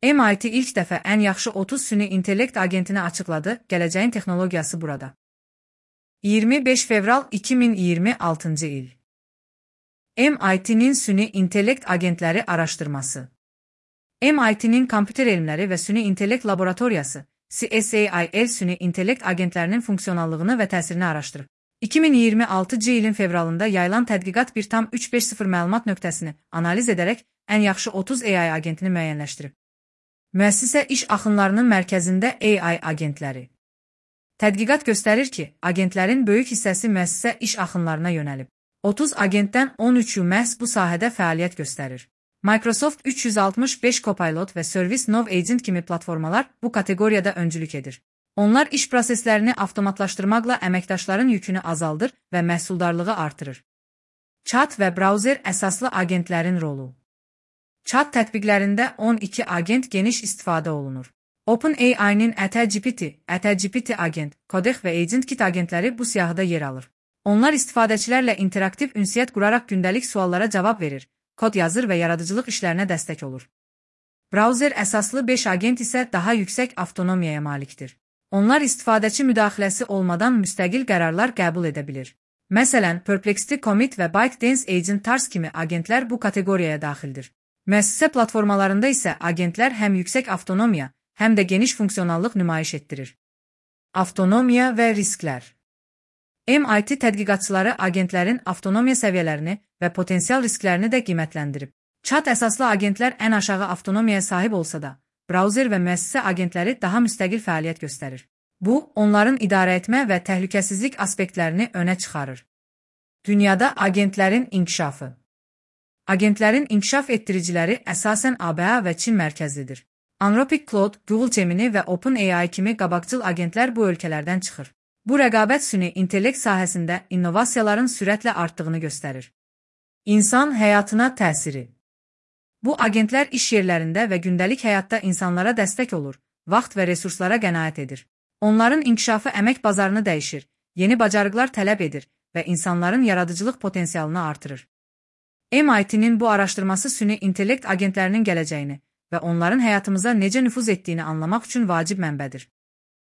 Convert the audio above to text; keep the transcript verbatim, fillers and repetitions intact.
M I T ilk dəfə ən yaxşı otuz süni intellekt agentini açıqladı, gələcəyin texnologiyası burada. iyirmi beş fevral iki min iyirmi altıncı il. M I T'nin süni intellekt agentləri araşdırması. M I T'nin kompüter elmləri və süni intellekt laboratoriyası, C S A I L süni intellekt agentlərinin funksionallığını və təsirini araşdırıb. iki min iyirmi altıncı ilin fevralında yayılan tədqiqat bir tam üç beş sıfır məlumat nöqtəsini analiz edərək ən yaxşı otuz A I agentini müəyyənləşdirib. Müəssisə iş axınlarının mərkəzində A I agentləri. Tədqiqat göstərir ki, agentlərin böyük hissəsi müəssisə iş axınlarına yönəlib. otuz agentdən on üçü məhz bu sahədə fəaliyyət göstərir. Microsoft üç yüz altmış beş Copilot və ServiceNow Agent kimi platformalar bu kateqoriyada öncülük edir. Onlar iş proseslərini avtomatlaşdırmaqla əməkdaşların yükünü azaldır və məhsuldarlığı artırır. Chat və brauzer əsaslı agentlərin rolu. Chat tətbiqlərində on iki agent geniş istifadə olunur. OpenAI-nin ATGPT, ATGPT agent, Codex və AgentKit agentləri bu siyahıda yer alır. Onlar istifadəçilərlə interaktiv ünsiyyət quraraq gündəlik suallara cavab verir, kod yazır və yaradıcılıq işlərinə dəstək olur. Brauzer əsaslı beş agent isə daha yüksək avtonomiyaya malikdir. Onlar istifadəçi müdaxiləsi olmadan müstəqil qərarlar qəbul edə bilir. Məsələn, Perplexity Commit və ByteDance Agent Tars kimi agentlər bu kateqoriyaya daxildir. Müəssisə platformalarında isə agentlər həm yüksək avtonomiya, həm də geniş funksionallıq nümayiş etdirir. Avtonomiya və risklər. M I T tədqiqatçıları agentlərin avtonomiya səviyyələrini və potensial risklərini də qiymətləndirib. Chat əsaslı agentlər ən aşağı avtonomiyaya sahib olsa da, brauzer və müəssisə agentləri daha müstəqil fəaliyyət göstərir. Bu, onların idarə etmə və təhlükəsizlik aspektlərini önə çıxarır. Dünyada agentlərin inkişafı. Agentlərin inkişaf etdiriciləri əsasən A B A və Çin mərkəzlidir. Anthropic Claude, Google Gemini və OpenAI kimi qabaqcıl agentlər bu ölkələrdən çıxır. Bu rəqabət süni intellekt sahəsində innovasiyaların sürətlə artdığını göstərir. İnsan həyatına təsiri. Bu agentlər iş yerlərində və gündəlik həyatda insanlara dəstək olur, vaxt və resurslara qənaət edir. Onların inkişafı əmək bazarını dəyişir, yeni bacarıqlar tələb edir və insanların yaradıcılıq potensialını artırır. M I T'nin bu araşdırması süni intellekt agentlərinin gələcəyini və onların həyatımıza necə nüfuz etdiyini anlamaq üçün vacib mənbədir.